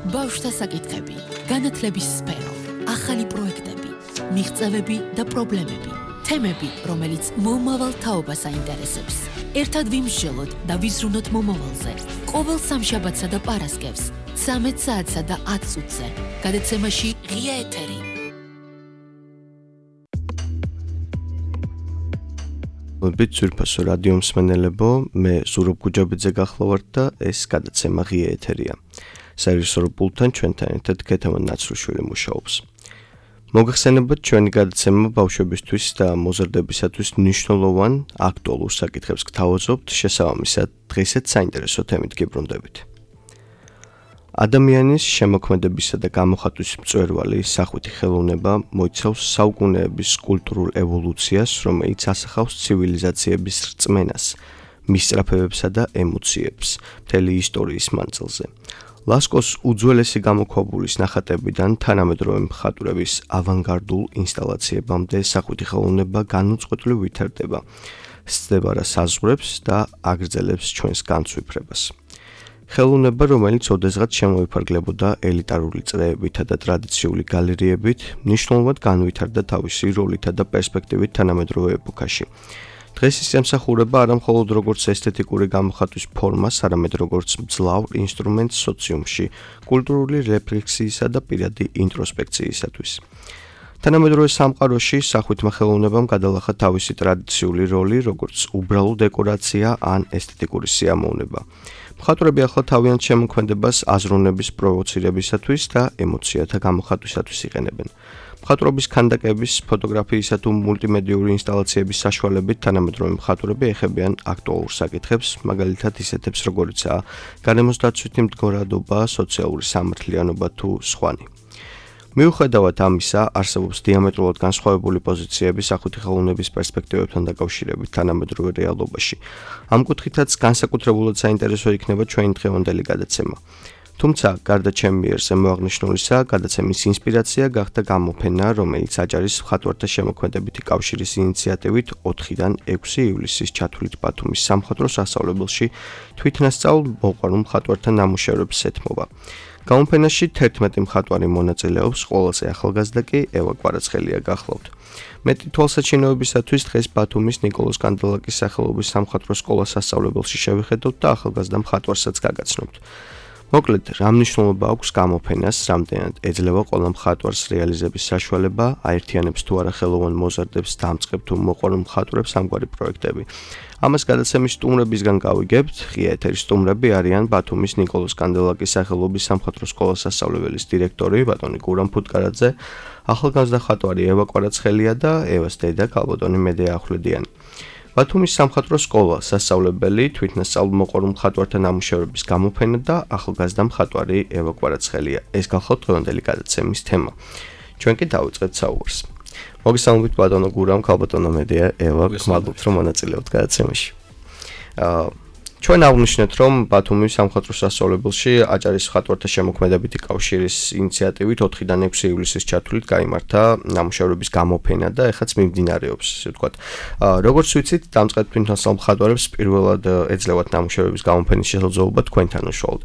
ბავშვთა საკითხები, განათლების სფერო, ახალი პროექტები, მიღწევები და პრობლემები, თემები, რომელიც მომავალ თაობას აინტერესებს. ერთად ვიმსჯელოთ და ვიზრუნოთ მომავალზე. ყოველ სამშაბათსა და პარასკევს, 13 საათსა და 10 წუთზე. გადაცემაში ღია ეთერი. მოდით ძვირფასო რადიო მსმენელებო, მე ზურაბ გუჯაბიძე გახლავართ და ეს გადაცემა ღია ეთერია. სერვისორ პულტთან ჩვენთან ერთად ქეთევან ნაცრუშვილი მუშაობს. მოგახსენებათ ჩვენი გადაცემა ბავშვებისთვის და მოზარდებისათვის მნიშვნელოვან აქტუალურ საკითხებს გთავაზობთ, შესაბამისად დღესაც საინტერესო თემით გიბრუნდებით. ადამიანის შემოქმედებისა და გამოხატვის მწვერვალი სახვითი ხელოვნება მოიცავს საუკუნეების კულტურულ ევოლუციას, რომელიც ასახავს ცივილიზაციების რწმენას, მისწრაფებებსა და ემოციებს მთელი ისტორიის მანძილზე. ლასკოს უძველესი გამოქვაბულის ნახატებიდან თანამედროვე მხატვრების ავანგარდულ ინსტალაციებამდე სახვითი ხელოვნება განუწყვეტლივ ვითარდება, სცდება რა საზღვრებს და აგრძელებს ჩვენს განცვიფრებას. ხელოვნება, რომელიც ოდესღაც შემოიფარგლებოდა ელიტარული წრეებითა და ტრადიციული გალერეებით, მნიშვნელოვნად განვითარდა თავისი როლითა და პერსპექტივით თანამედროვე ეპოქაში. დღეს ის ემსახურება არა მხოლოდ როგორც ესთეტიკური გამოხატვის ფორმას, არამედ როგორც მძლავრ ინსტრუმენტს სოციუმში, კულტურული რეფლექსიისა და პირადი ინტროსპექციისათვის. თანამედროვე სამყაროში სახვითმა ხელოვნებამ გადალახა თავისი ტრადიციული როლი, როგორც უბრალო დეკორაცია ან ესთეტიკური სიამოვნება. მხატვრები ახლა თავიანთ შემოქმედებას აზროვნების პროვოცირებისათვის და ემოციათა გამოხატვისათვის იყენებენ. მხატვრობის ქანდაკების, ფოტოგრაფიისა თუ მულტიმედიური ინსტალაციების საშუალებით თანამედროვე მხატვრები ეხებიან აქტუალურ საკითხებს, მაგალითად ისეთებს როგორიცაა გარემოს დაცვითი მდგომარეობა, სოციალური სამართლიანობა თუ სხვანი. მიუხედავად ამისა, არსებობს დიამეტრულად განსხვავებული პოზიციები სახვითი ხელოვნების პერსპექტივებთან დაკავშირებით თანამედროვე რეალობაში. ამ კუთხითაც განსაკუთრებულად საინტერესო იქნება ჩვენი დღევანდელი გადაცემა. თუმცა, გარდა ჩემი მიერ შემოაღნიშნულისა, გადაცემის ინსპირაცია გახდა გამოფენა, რომელიც აჭარის მხატვართა შემოქმედებითი კავშირის ინიციატივით 4-დან 6 ივლისის ჩათვლით ბათუმის სამხატვრო სასწავლებელში თვითნასწავლ მოყვარულ მხატვართა ნამუშევრებს ეთმობა. გამოფენაში 11 მხატვარი მონაწილეობს, ყველაზე ახალგაზრდა კი ევა კვარაცხელია გახლავთ. მეტი თვალსაჩინოებისათვის დღეს ბათუმის ნიკოლოზ კანდელაკის სახელობის სამხატვრო სკოლას სასწავლებელში შევიხედოთ და ახალგაზრდა მხატვარსაც გაგაცნობთ. მოკლედ, რა მნიშვნელობა აქვს გამოფენას, რამდენად ეძლევა ყველა მხატვარს რეალიზების საშუალება, აერთიანებს თუ არა ხელოვან მოზარდებს, დამწყებ თუ მოყვარულ მხატვრებს ამგვარი პროექტები. ამას გადაცემის სტუმრებისგან გავიგებთ. ღია ეთერის სტუმრები არიან ბათუმის ნიკოლოზ კანდელაკის სახელობის სამხატვრო სკოლას სასწავლებელის დირექტორი ბატონი გურამ ფუტკარაძე, ახალგაზრდა მხატვარი ევა კვარაცხელია და ევას დედა ქალბატონი მედეა ახვლედიანი. ბათუმის სამხატვრო სკოლა სასწავლებელი, თვითნასწავლ მოყვარულ მხატვართა ნამუშევრების გამოფენა და ახალგაზრდა მხატვარი ევა კვარაცხელია. ეს გახლავთ დღევანდელი გადაცემის თემა. ჩვენ კი დავიწყებთ საუბარს. მოგესალმებით ბატონო გურამ, ქალბატონო მედეა, ევა, გმადლობთ რომ მონაწილეობთ გადაცემაში. ჩვენ აღვნიშნეთ, რომ ბათუმის სამხატვრო სასწავლებელში აჭარის მხატვართა შემოქმედებითი კავშირის ინიციატივით 4-დან 6 ივლისის ჩათვლით გაიმართა ნამუშევრების გამოფენა და ეხაც მიმდინარეობს, ასე ვთქვათ. როგორც ვიცით, დამწყებ თვითნასწავლ მხატვარებს პირველად ეძლევათ ნამუშევრების გამოფენის შესაძლებლობა თქვენთან უშუალოდ.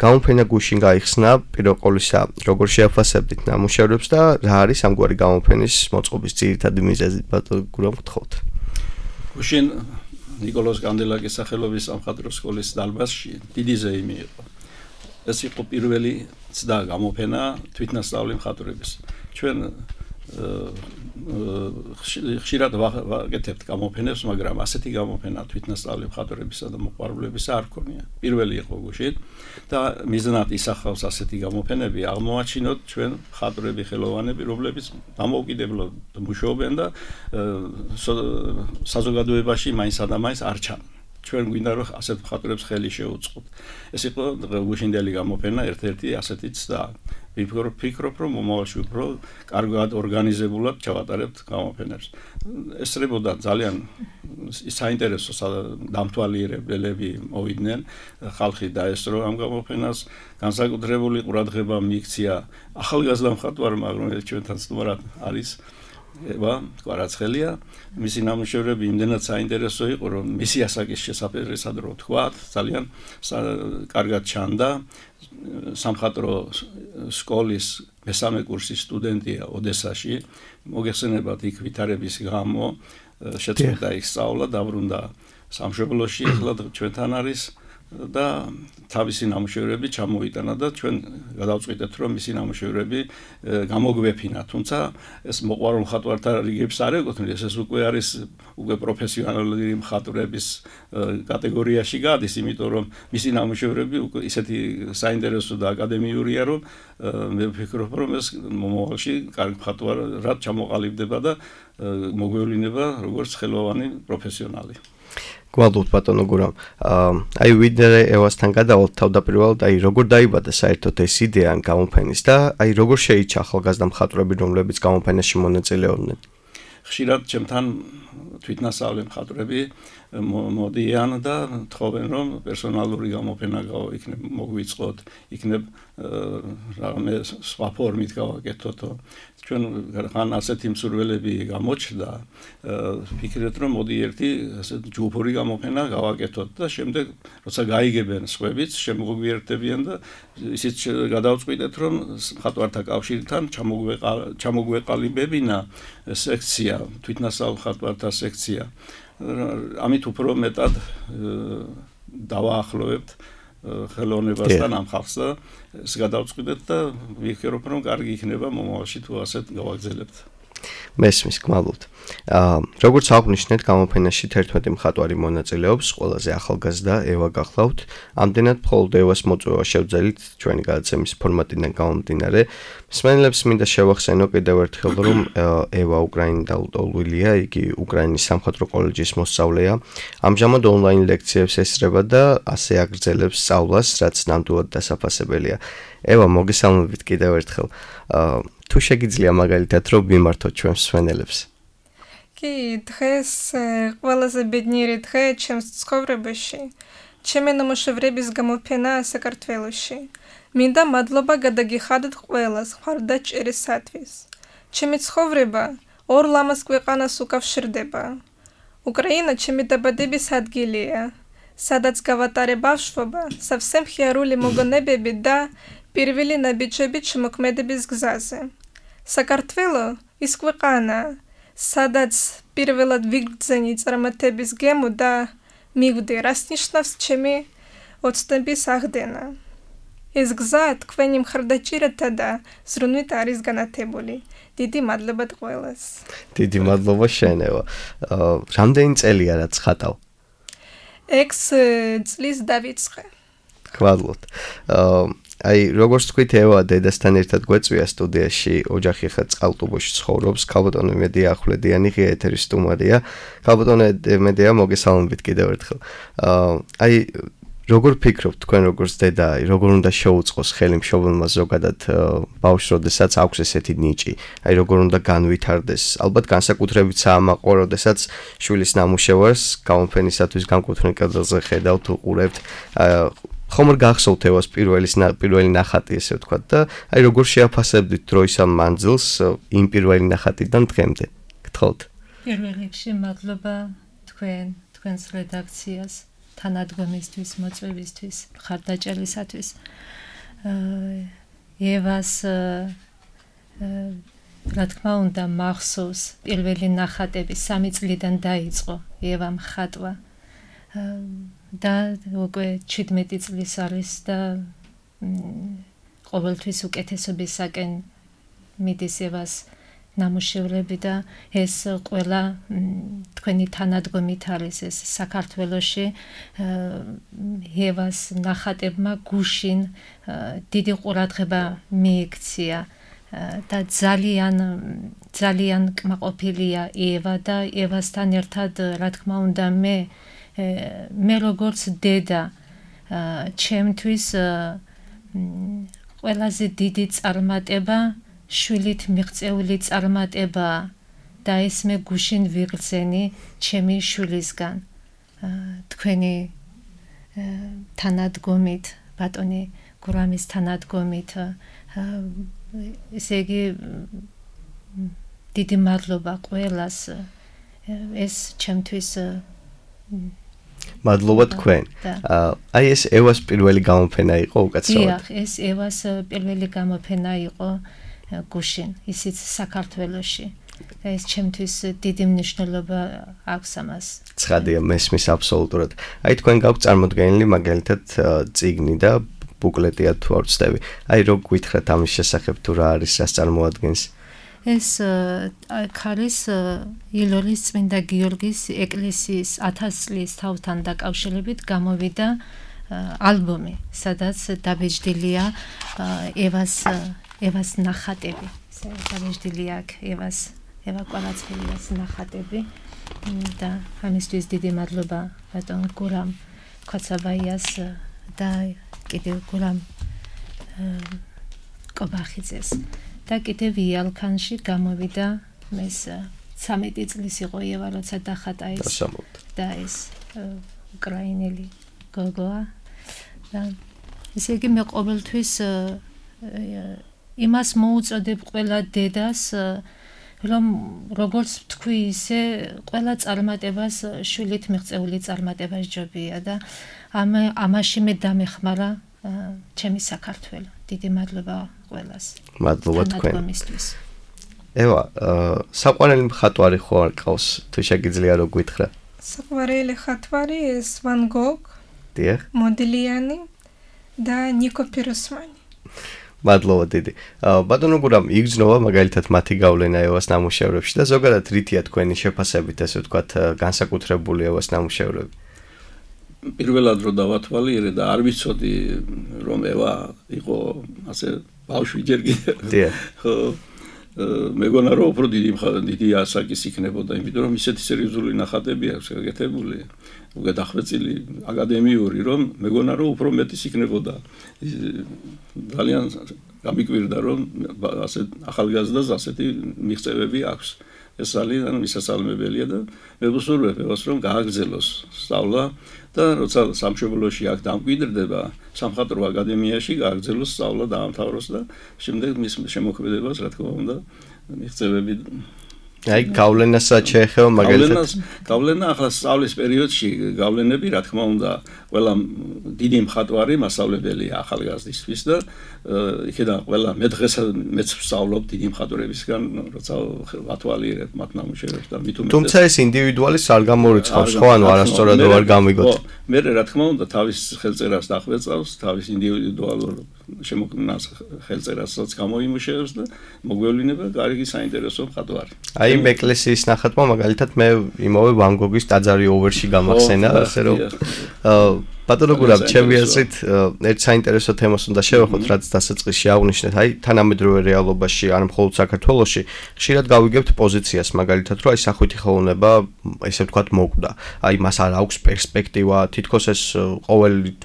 გამოფენა გუშინ გაიხსნა, პირველ ყოვლისა, როგორ შეაფასებდით ნამუშევრებს და რა არის ამგვარი გამოფენის მოწყობის ძირითადი მიზეზი, ბატონო გურამ, გთხოვთ. გუშინ ნიკოლოზ კანდელაკის სახელობის სამხატვრო სკოლის დარბაზში დიდი ზეიმი იყო. ეს იყო პირველი ცდა გამოფენა თვითნასწავლი მხატვრების. ჩვენ ხშირად ვაკეთებთ გამოფენებს, მაგრამ ასეთი გამოფენა თვითნასწავლი მხატვრებისა და მოყვარულებისა არ ქონია. პირველი იყო გუშინ და მიზნად ისახავს ასეთი გამოფენები, აღმოაჩინოთ ჩვენ მხატვრები, ხელოვანები, რომლებიც დამოუკიდებლად მუშაობენ და საზოგადოებაში მაინც და მაინც არ ჩანან. ჩვენ გვინდა რომ ასეთ მხატვრებს ხელი შეუწყოთ. ეს იყო გუშინდელი გამოფენა, ერთ-ერთი ასეთი ცდა. ვფიქრობ, რომ მომავალში უფრო კარგად ორგანიზებულად ჩავატარებთ გამოფენებს. ესწრებოდა ძალიან საინტერესო დამთვალიერებლები მოვიდნენ, ხალხი დაესწრო ამ გამოფენას, განსაკუთრებული ყურადღება მიიქცია ახალგაზრდა მხატვარმა, რომელიც ჩვენთან სტუმრად არის ევა კვარაცხელია, მისი ნამუშევრები იმდენად საინტერესო იყო, რომ მისი ასაკის შესაძლებლად რო თქვა, ძალიან კარგად ჩანდა. სამხატვრო სკოლის მესამე კურსის სტუდენტია ოდესაში, მოგეხსენებათ იქ ვითარების გამო შეწყდა იქ სწავლა, დაბრუნდა სამშობლოში, ახლა ჩვენთან არის და თავისი ნამუშევრები ჩამოიტანა და ჩვენ გადავწყვიტეთ რომ მისი ნამუშევრები გამოგვეფინა, თუმცა ეს მოყვარულ მხატვართა რიგებს არ ეკუთვნის, ეს უკვე არის პროფესიონალური მხატვრების კატეგორიაში გადის, იმიტომ რომ მისი ნამუშევრები უკვე ისეთი საინტერესო და აკადემიურია, რომ მე ვფიქრობ რომ ეს მომავალში კარგ მხატვარად ჩამოყალიბდება და მოგვევლინება როგორც ხელოვანი პროფესიონალი. გვალდოთ ბატონო გურამ. აი ვიდრე ევასთან გადავალთ თავდაპირველად, აი როგორ დაიბადა საერთოდ ეს იდეა გამოფენის და აი როგორ შეიჭა ახალგაზრდა მხატვრები, რომლებიც გამოფენაში მონაწილეობდნენ? ხშირად ჩემთან თვითნასწავლი მხატვრები მოდიან და თხოვენ რომ პერსონალური გამოფენა იქნებ მოგვიწყოთ, იქნებ რამე სხვა ფორმით გავაკეთოთ. ჩვენ ხან ასეთი მსურველები გამოჩნდა, ვფიქრეთ რომ მოდი ერთი ასეთ ჯგუფური გამოფენა გავაკეთოთ და შემდეგ როცა გაიგებენ სხვებიც შემოგვიერთდებიან და ისიც გადავწყვიტეთ რომ მხატვართა კავშირთან ჩამოგვეყალიბებინა სექცია, თვითნასწავლ მხატვართა სექცია. ამით უფრო მეტად დავაახლოვებთ ხელოვნებასთან ამ ხალხს და ეს გადავწყვიტეთ და ვიქერობ რომ კარგი იქნება მომავალში თუ ასეთ გავაგზელებთ. მესმის გმალობთ. როგორც აღნიშნეთ, გამოფენაში 11 მხატვარი მონაწილეობს, ყველაზე ახალგაზრდა ევა გახლავთ. ამდენად მხოლოდ ევას მოწვევა შევძელით ჩვენი გადაცემის ფორმატიდან გამომდინარე. მსმენელებს მინდა შევახსენო კიდევ ერთხელ, რომ ევა უკრაინიდან დაუტოლვილია, იგი უკრაინის სამხატვრო კოლეჯის მოსწავლეა. ამჟამად ონლაინ ლექციებს ესწრება და ასე აგრძელებს სწავლას, რაც ნამდვილად დასაფასებელია. ევა, მოგესალმებით კიდევ ერთხელ. თუ შეგიძლია მაგალითად რომ მიმართოთ ჩვენ მსმენელებს. კი, დღეს ყველაზე ბედნიერი დღე ჩემს ცხოვრებაში. ჩემი ნამუშევრების გამოფენა საქართველოში. მინდა მადლობა გადაგიხადოთ ყველას მხარდაჭერისათვის. ჩემი ცხოვრება ორ ლამაზ ქვეყანას უკავშირდება. უკრაინა ჩემი დაბადების ადგილია, სადაც გავატარე ბავშვობა, სავსემ ხიარული მოგონებები და პირველი ნაბიჯები შემოქმედების გზაზე. საქართველო ის ქვეყანა, სადაც პირველად ვიგრძენი წარმატების გემო და მივდე, რას ნიშნავს ჩემი ოცნების აღდგენა. ეს გზა თქვენი მხარდაჭერითა და ზრუნვით არის განათებული. დიდი მადლობა ყველას. დიდი მადლობა შენევა. რამდენი წელია რაც ხატავ? 6 წლის დავიწყე. გვალოთ. აი როგორც თქვით ევა დედასთან ერთად გვეწვია სტუდიაში, ოჯახი ხა წყალტუბოში ცხოვრობს, ქალბატონი მედია ახვლედიანი ღია ეთერის სტუმარია. ქალბატონი მედია მოგესალმებით კიდევ ერთხელ. აი როგორ ფიქრობთ თქვენ როგორც დედა, როგორ უნდა შეუწყოს ხელი მშობელმა ზოგადად ბავშვს, როდესაც აქვს ესეთი ნიჭი? აი როგორ უნდა განვითარდეს? ალბათ განსაკუთრებით საამაყო, როდესაც შვილის ნამუშევარს გამოფენისათვის განკუთვნილ კედელზე ხედავთ, უყურებთ. ხომ არ გახსოვთ ევას პირველი ნახატი, ესე ვთქვათ და აი როგორ შეაფასებდით დროის ამ მანძილს იმ პირველი ნახატიდან დღემდე? გთხოვთ. პირველ რიგში მადლობა თქვენს რედაქციას, თანადგომისთვის, მოწვევისთვის, მხარდაჭერისათვის. ევას რა თქმა უნდა მახსოვს პირველი ნახატები 3 წლიდან დაიწყო ევა მხატვა. და უკვე 17 წლის არის და ყოველთვის უკეთესობისაკენ მიდის ევას ნამუშევრები და ეს ყველა თქვენი თანადგომით არის ეს საქართველოში ევას ნახატებმა გუშინ დიდი ყურადღება მიიქცია და ძალიან კმაყოფილია ევა და ევასთან ერთად რა თქმა უნდა მე როგორც დედა ჩემთვის ყველაზე დიდი წარმატება შვილით მიღწეული წარმატება და ეს მე გუშინ ვიღწენი ჩემი შვილისგან თქვენი თანადგომით ბატონი გურამის თანადგომით ესე იგი დიდი მადლობა ყველას ეს ჩემთვის მადლობა თქვენ. აი ეს ევას პირველი გამოფენა იყო უკაცრავად. დიახ, ეს ევას პირველი გამოფენა იყო გუშინ, ისიც საქართველოში. და ეს ჩემთვის დიდი მნიშვნელობა აქვს ამას. ცხადია, მესმის აბსოლუტურად. აი თქვენ გაქვთ წარმოდგენილი მაგალითად წიგნი და ბუკლეტია თუ არ ვცდები. აი რო გითხრათ ამის შესახებ თუ რა არის, რას წარმოადგენს? ეს ქარის ილოლის წმინდა გიორგის ეკლესიის 1000 წლის თავთან დაკავშირებით გამოვიდა ალბომი, სადაც დაბეჭდილია ევას ნახატები. დაბეჭდილია ევა კვალაცხელიას ნახატები და ამისთვის დიდი მადლობა ბატონ გურამ ქოცაბაიას და კიდევ გურამ კობახიძეს. და კიდევ იალქანში გამოვიდა ეს 13 წლის იყო ევა, როცა დახატა ეს და ეს უკრაინელი გოგოა. და ესე იგი მე ყოველთვის იმას მოუწოდებ ყველა დედას, რომ როგორც თქვი, ისე ყველა წარმატებას შვილით მიღწეული წარმატება ჯობია და ამაში მე დამეხმარა ჩემი საქართველო. დიდი მადლობა ყველას. მადლობა თქვენ. ევა, საყვარელი მხატვარი ხო არ ყავს? თუ შეგიძლია რო გითხრა. საყვარელი მხატვარი ეს ვან გოგ, დიახ, მოდილიანი და ნიკო პიროსმანი. მადლობა დიდი. ბატონო გურამ, იგრძნობა მაგალითად მათი გავლენა ევას ნამუშევრებში და ზოგადად რითია თქვენი შეფასებით, ასე ვთქვათ, განსაკუთრებული ევას ნამუშევრები? პირველად რო დავათვალიერე და არ ვიცოდი რომ ევა იყო ასე ბავშვი ჯერ კიდევ. ხო მეგონა რომ უფრო დიდი ასაკის იქნებოდა, იმიტომ რომ ისეთი სერიოზული ნახატები აქვს გაკეთებული, გადახვეწილი აკადემიური, რომ მეგონა რომ უფრო მეტის იქნებოდა. ძალიან გამიკვირდა რომ ასე ახალგაზრდას ასეთი მიღწევები აქვს. ეს ძალიან მისასალმებელია და მე ვუსურვებ ევას რომ გააგრძელოს სწავლა და როცა სამშობლოში აქ დამკვიდრდება სამხატვრო აკადემიაში გააგრძელოს სწავლა დაამთავროს და შემდეგ მის შემოქმედებას რა თქმა უნდა მიღწევები აი გავლენასაც შეეხება მაგალითად გავლენა ახლა სწავლის პერიოდში გავლენები რა თქმა უნდა ყველა დიდი მხატვარი მასწავლებელია ახალგაზრდისთვის და იქიდან ყველა მე დღეს მეც ვსწავლობ დიდი მხატვრებისგან როცა ვათვალიერებ მათ ნამუშევრებს და მით უმეტეს თუმცა ეს ინდივიდუალის არ გამორიცხავს ხო ანუ არასწორად არ გამიგოთ მე რა თქმა უნდა თავის ხელწერას დახვეწავს თავის ინდივიდუალურ შემოქმნას ხელწერასაც გამოიმუშავებს და მოგვევლინება კარგი საინტერესო მხატვარი აი იმ ეკლესიის ნახატმა მაგალითად მე იმავე ვან გოგის ტაძარი ოვერში გამახსენა ასე რომ ბატონო გურამ ჩემი აზრით ერთ საინტერესო თემას უნდა შევეხოთ რაც დასაწყისში აღნიშნეთ აი თანამედროვე რეალობაში არ მხოლოდ საქართველოში ხშირად გავიგებთ პოზიციას მაგალითად რომ აი სახვითი ხელოვნება ესე ვთქვათ მოკვდა აი მას არ აქვს პერსპექტივა თითქოს ეს ყოველი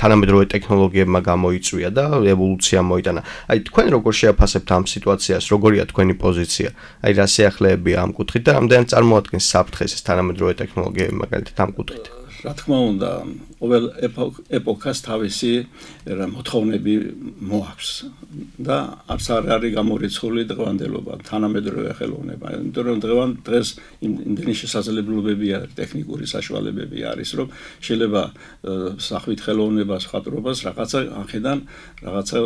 თანამედროვე ტექნოლოგიებმა გამოიწვია და ევოლუცია მოიტანა. აი თქვენ როგორ შეაფასებთ ამ სიტუაციას, როგორია თქვენი პოზიცია? აი რა შეახლეებია ამ კუთხით და რამდენად წარმოადგენს საფრთხეს ეს თანამედროვე ტექნოლოგიები მაგალითად ამ კუთხით? რა თქმა უნდა, ყოველ ეპოქას თავისი მოთხოვნები მოაქვს და არც არ არის გამორიცხული დღევანდელობა, თანამედროვე ხელოვნება. იმიტომ რომ დღეს იმდენი შესაძლებლობებია, ტექნიკური საშუალებები არის, რომ შეიძლება სახვით ხელოვნებას, მხატვრობას რაღაცა ახედან, რაღაცა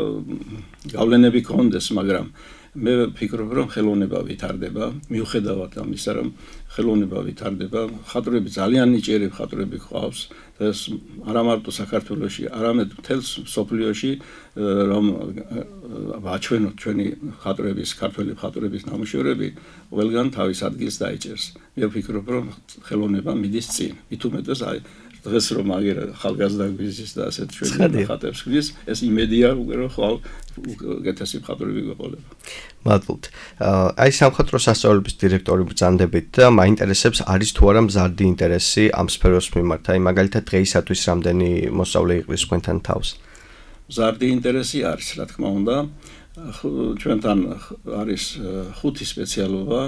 გავლენები კონდეს, მაგრამ მე ვფიქრობ, რომ ხელოვნება ვითარდება, მიუხედავად ამისა, რომ ხელოვნება ვითარდება, მხატვრები ძალიან ნიჭიერი მხატვრები ყავს და ეს არა მარტო საქართველოში, არამედ მთელს მსოფლიოში რომ ვაჩვენოთ ჩვენი მხატვრების, ქართველი მხატვრების ნამუშევრები, ყველგან თავის ადგილს დაიჭერს. მე ვფიქრობ, რომ ხელოვნება მიდის წინ. მით უმეტეს აი დღეს რომ აგერა ხალგაზრდა გვიზის და ასეთ ჩვენი ხატებს გვიზ, ეს იმედია უკვე რომ ხვალ უკეთესი მხატვრები გვეყოლება. მადლობთ. აი სამხატვრო სასწავლებლების დირექტორი ბრძანდებით და მაინტერესებს არის თუ არა მზარდი ინტერესი ამ სფეროს მიმართ. აი მაგალითად დღეისათვის რამდენი მოსწავლე იყრის თქვენთან თავს? მზარდი ინტერესი არის, რა თქმა უნდა. ჩვენთან არის 5 სპეციალობა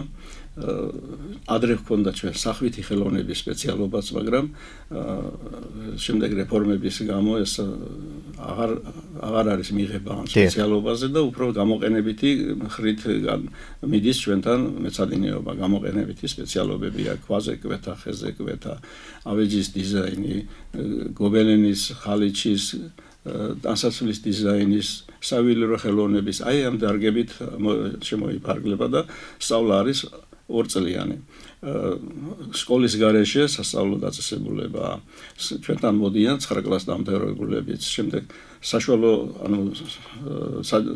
ადრე ჰქონდა ჩვენ სახვითი ხელოვნების სპეციალობაც, მაგრამ შემდეგ რეფორმების გამო ეს აღარ არის მიღება ამ სპეციალობაზე და უფრო გამოყენებითი ხრით მიდის ჩვენთან მეცადინეობა, გამოყენებითი სპეციალობები აქვს, ქვაზე კვეთა, ხეზე კვეთა, ავეჯის დიზაინი, გობელენის, ხალიჩის დასასრულის დიზაინის, საველირო ხელოვნების, აი ამ დარგებით შემოიფარგლება და სწავლა არის 2 წლიანი. სკოლის გარეშე სასწავლო დაწესებულება ჩვენთან მოდიან 9 კლასს დამთავრებულებიც, შემდეგ საშუალო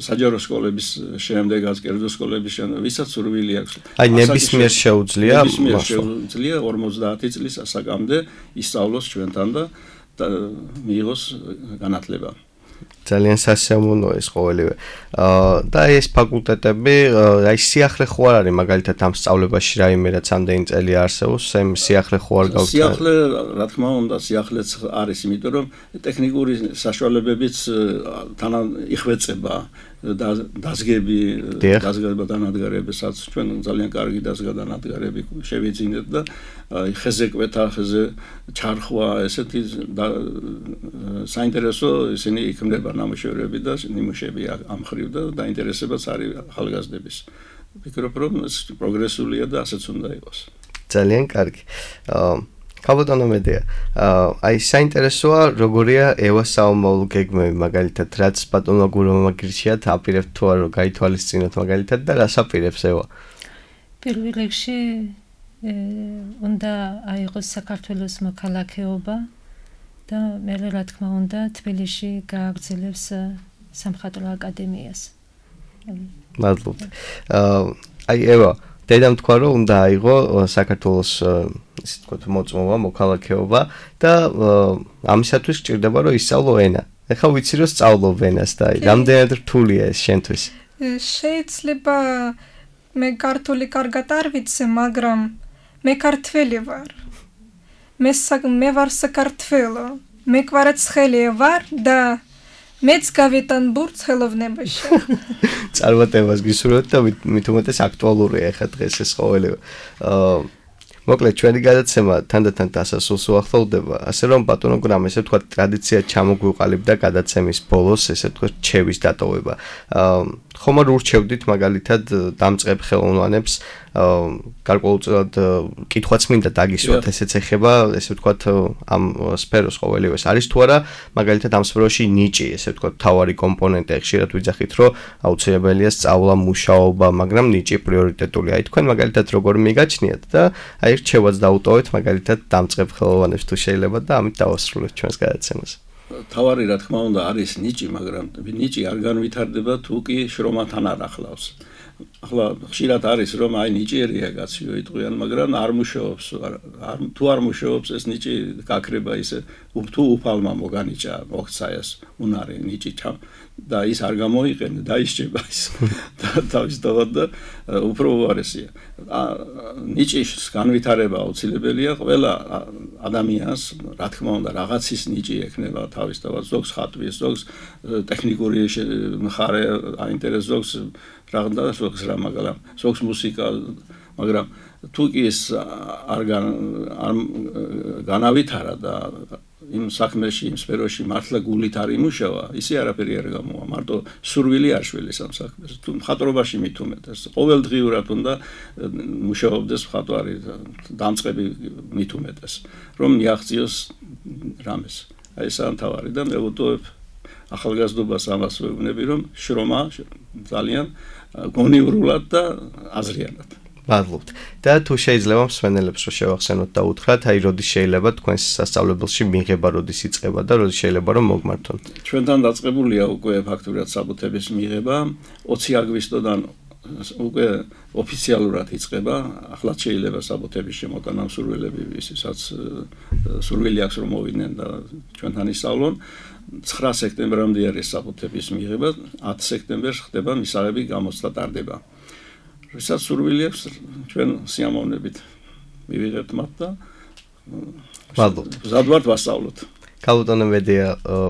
საჯარო სკოლების შემდეგაც კერძო სკოლების შემდეგ ვისაც სურვილი აქვს. აი ნებისმიერ შეუძლია 50 წლის ასაკამდე ისწავლოს ჩვენთან და მიიღოს განათლება. ძალიან სასიამოვნოა ეს ყოველივე. და ეს ფაკულტეტები, აი სიახლე ხო არ არის მაგალითად ამ სწავლებაში რაიმე რაც ამდენი წელი არსებობს, ამ სიახლე ხო არ გაქვს? სიახლე, რა თქმა უნდა, სიახლეც არის, იმიტომ რომ ტექნიკური საშუალებებიც თან იხვეწება. დაზგები დანადგარებსაც ჩვენ ძალიან კარგი დანადგარები შევიძინეთ და ხეზე კვეთა, ხეზე ჩარხვა, ესეთი საინტერესო ისინი იქმნება ნამუშევრები და ნიმუშები ამ ხრივ და დაინტერესებაც არის ახალგაზრდების. ვფიქრობ, რომ ეს პროგრესულია და ასეც უნდა იყოს. ძალიან კარგი. კაბოტონო მედია. აი საინტერესოა როგორია ევას საომავლო გეგმები მაგალითად რაც ბატონო გურომა გირჩიათ აპირებთ თუ არა გაითვალისწინოთ მაგალითად და რას აპირებს ევა? პირველ რიგში უნდა აიღოს საქართველოს მოქალაქეობა და მერე რა თქმა უნდა თბილისში გააგრძელებს სამხატვრო აკადემიას. მადლობთ. აი ევა დედამ თქვა რომ უნდა აიღო საქართველოს ისე თქვა მოწმობა, მოქალაქეობა და ამისათვის გჭირდება რომ ისწავლო ენა. ეხლა ვიცი რომ სწავლობ ენას და რამდენად რთულია ეს შენთვის? შეიძლება მე ქართული კარგად არ ვიცი, მაგრამ მე ქართველი ვარ. მე ვარ საქართველო. მე კვარაცხელი ვარ და მეც გავიტან ბურთს ხელოვნებაში. წარმატებას გისურვებთ და მით უმეტეს აქტუალურია ახლა დღეს ეს ყოველივე. მოკლედ ჩვენი გადაცემა თანდათან დასასრულს უახლოვდება, ასე რომ ბატონო გრამ ესე თქვა ტრადიცია ჩამოგვიყალიბდა გადაცემის ბოლოს, ესე თქვა რჩევის დატოვება. ხომ არ ურჩევდით მაგალითად დამწყებ ხელოვნებებს გარკვეულწილად კითხვაც მინდა დაგისვათ, ესეც ეხება, ესე ვთქვათ, ამ სფეროს ყოველივეს. არის თუ არა მაგალითად ამ სფეროში ნიჭი, ესე ვთქვათ, თავარი კომპონენტი, ხშირად ვიძახით, რომ აუცილებელია სწავლა, მუშაობა, მაგრამ ნიჭი პრიორიტეტულია. აი თქვენ მაგალითად როგორ მიგაჩნიათ და აი რჩევაც დაუტოვეთ მაგალითად დამწყებ ხელოვნებს თუ შეიძლება და ამით დავასრულებთ ჩვენს გადაცემას. თავარი რა თქმა უნდა არის ნიჭი, მაგრამ ნიჭი არ განვითარდება თუ კი შრომათან არ ახლავს. ახლა ხშირად არის რომ აი ნიჭიერია კაცი იტყვიან, მაგრამ არ მუშაობს, თუ არ მუშაობს ეს ნიჭი გაქრება ისე თუ უფალმა მოგანიჭა, მოხცა ეს უნარი ნიჭი და ის არ გამოიყენე და ისჭება ის თავისთავად და უფრო უარესია. ნიჭის განვითარება აუცილებელია ყველა ადამიანს, რა თქმა უნდა, რაღაცის ნიჭი ექნება თავისთავად, ზოგს ხატვის, ზოგს ტექნიკური მხარე აინტერესებს, ზოგს რაღაცა ზოგს რა, მაგრამ ზოგს მუსიკა, მაგრამ თუ კი ეს არ განავითარა და იმ საქმეში, იმ სფეროში მართლა გულით არ იმუშავა, ისე არაფერი არ გამოვა, მარტო სურვილი არ შველის ამ საქმეს. თუ მხატვრობაში მით უმეტეს, ყოველდღიურად უნდა მუშაობდეს მხატვარი, დამწყები მით უმეტეს, რომ მიაღწიოს რამეს. აი ეს ამთავარი და მე ვუტოვებ ახალგაზრდობას ამას ვეუბნები, რომ შრომა ძალიან გონივრულად და აზრიანად. მადლობთ. და თუ შეიძლება მსმენელებს რომ შევახსენოთ და უთხრათ, აი როდის შეიძლება თქვენს სასწავლებელში მიღება, როდის იწყება და როდის შეიძლება რომ მოგმართონ? ჩვენთან დაწყებულია უკვე ფაქტურად საბუთების მიღება 20 აგვისტოდან უკვე ოფიციალურად იწყება. ახლა შეიძლება საბუთების შემოტანა მსურველები, ვისაც სურვილი აქვს რომ მოვიდნენ და ჩვენთან ისწავლონ. 9 სექტემბრამდე არის საბუთების მიღება, 10 სექტემბერს ხდება მისაღები გამოცდა ტარდება. ვისაც სურვილი აქვს ჩვენ სიამოვნებით მივიღებთ მათ და მადლობთ. ზადვართ ვასწავლოთ. კაბოტონო მედია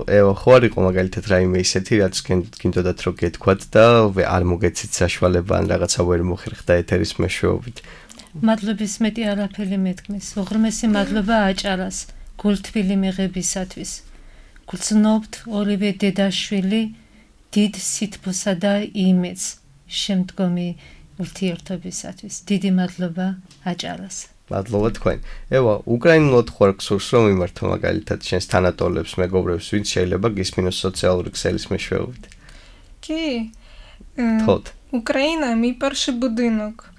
ევა ხო არ იყო მაგალითად რაიმე ისეთი რაც გინდოდათ რომ გეთქვათ და არ მოგეცით საშუალება ან რაღაცა ვერ მოხერხდა ეთერის მეშვეობით? მადლობის მეტი არაფერი მეთქმის. უღრმესი მადლობა აჭარას გულთბილი მიღებისათვის. გრძნობთ ორივე დედაშვილი დიდ სითბოსა და იმედს შემდგომი ურთიერთობისათვის. დიდი მადლობა აჭარას. მადლობა თქვენ. ევა, უკრაინულად ხარ გსურს რომ იმართო მაგალითად შენს თანატოლებს, მეგობრებს, ვინც შეიძლება გისმინოს სოციალური ქსელის მეშვეობით. Ки. Тот. Україна – мій перший будинок.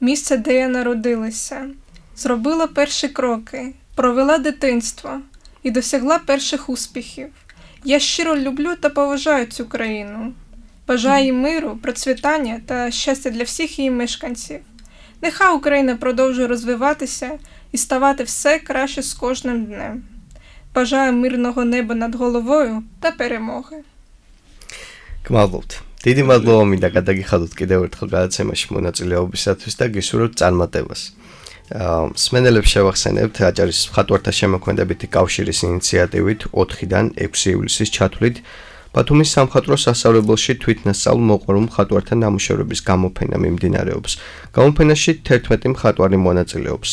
Місце, де я народилася. Зробила перші кроки, провела дитинство і досягла перших успіхів. Я щиро люблю та поважаю цю країну. Бажаю їй миру, процвітання та щастя для всіх її мешканців. Нехай Україна продовжує розвиватися і ставати все краще з кожним днем. Бажаю мирного неба над головою та перемоги. გმადლობთ. დიდი მადლობა მინდა გადაგიხადოთ კიდევ ერთხელ გადაცემაში მონაწილეობისათვის და გისურვებთ წარმატებას. მსმენელებს შევახსენებთ აჭარის მხატვართა შემოქმედებითი კავშირის ინიციატივით 4-დან 6 ივლისის ჩათვლით ბათუმის სამხატვრო სასწავლებელში თვითნასწავლ მოყვარულ მხატვართა ნამუშევრების გამოფენა მიმდინარეობს. გამოფენაში 11 მხატვარი მონაწილეობს.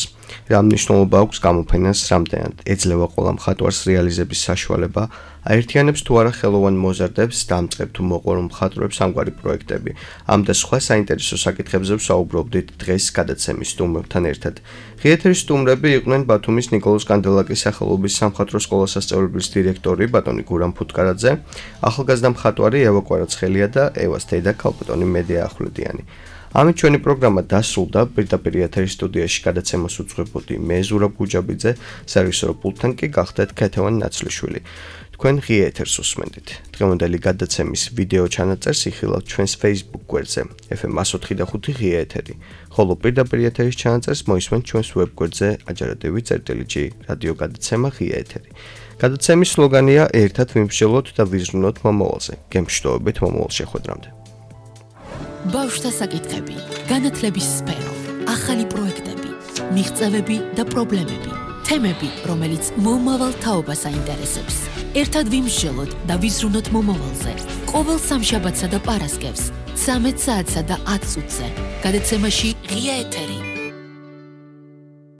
რა მნიშვნელობა აქვს გამოფენას, რამდენად ეძლევა ყველა მხატვარს რეალიზების საშუალება, აერთიანებს თუ არა ხელოვან მოზარდებს, დამწყებ თუ მოყვარულ მხატვრებს ამგვარი პროექტები. ამ და სხვა საინტერესო საკითხებზე ვსაუბრობდით დღეს გადაცემის სტუმრებთან ერთად. ღიეთერის სტუმრები იყვნენ ბათუმის ნიკოლოზ კანდელაკის სახელობის სამხატვრო სკოლას სასწავლებლის დირექტორი ბატონი გურამ ფუტკარაძე, ახალგაზრდა მხატვარი ევა კვარაცხელია და ევას დედა ქალბატონი მედია ახვლედიანი. ამით ჩვენი პროგრამა დასრულდა. პირდაპირ ეთერის სტუდიაში გადაცემას უძღვებოდი მე ზურაბ გუჯაბიძე, სერვისორო პულტთან კი გახდეთ ქეთევან ნაცლიშვილი. თქვენ ღია ეთერს უსმენდით. დღევანდელი გადაცემის ვიდეო ჩანაწერს იხილავთ ჩვენს Facebook გვერდზე FM 104.5 ღია ეთერი. ხოლო პირდაპირ ეთერის ჩანაწერს მოისმენთ ჩვენს ვებ გვერდზე ajaradavi.g რადიო გადაცემა ღია ეთერი. გადაცემის სლოგანია ერთად ვიმსჯელოთ და ვიზრუნოთ მომავალზე. გემშვიდობებით მომავალ შეხვედრამდე. ბავშვთა საკითხები, განათლების სფერო, ახალი პროექტები, მიღწევები და პრობლემები, თემები, რომელიც მომავალ თაობას აინტერესებს. ერთად ვიმსჯელოთ და ვიზრუნოთ მომავალზე. ყოველ სამშაბათსა და პარასკევს 13 საათსა და 10 წუთზე. გადაცემაში ღია ეთერი.